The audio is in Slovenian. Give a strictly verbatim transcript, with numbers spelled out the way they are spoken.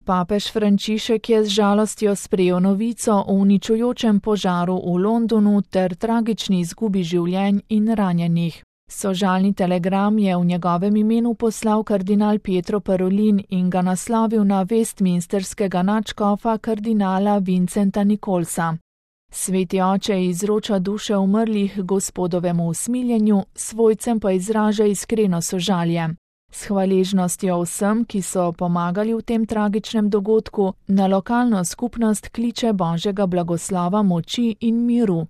Papež Frančišek je z žalostjo sprejel novico o uničujočem požaru v Londonu ter tragični izgubi življenj in ranjenih. Sožalni telegram je v njegovem imenu poslal kardinal Pietro Parolin in ga naslovil na westminsterskega nadškofa kardinala Vincenta Nicholsa. Sveti oče izroča duše umrlih Gospodovemu usmiljenju, svojcem pa izraža iskreno sožalje. S hvaležnostjo vsem, ki so pomagali v tem tragičnem dogodku, na lokalno skupnost kliče Božjega blagoslova, moči in miru.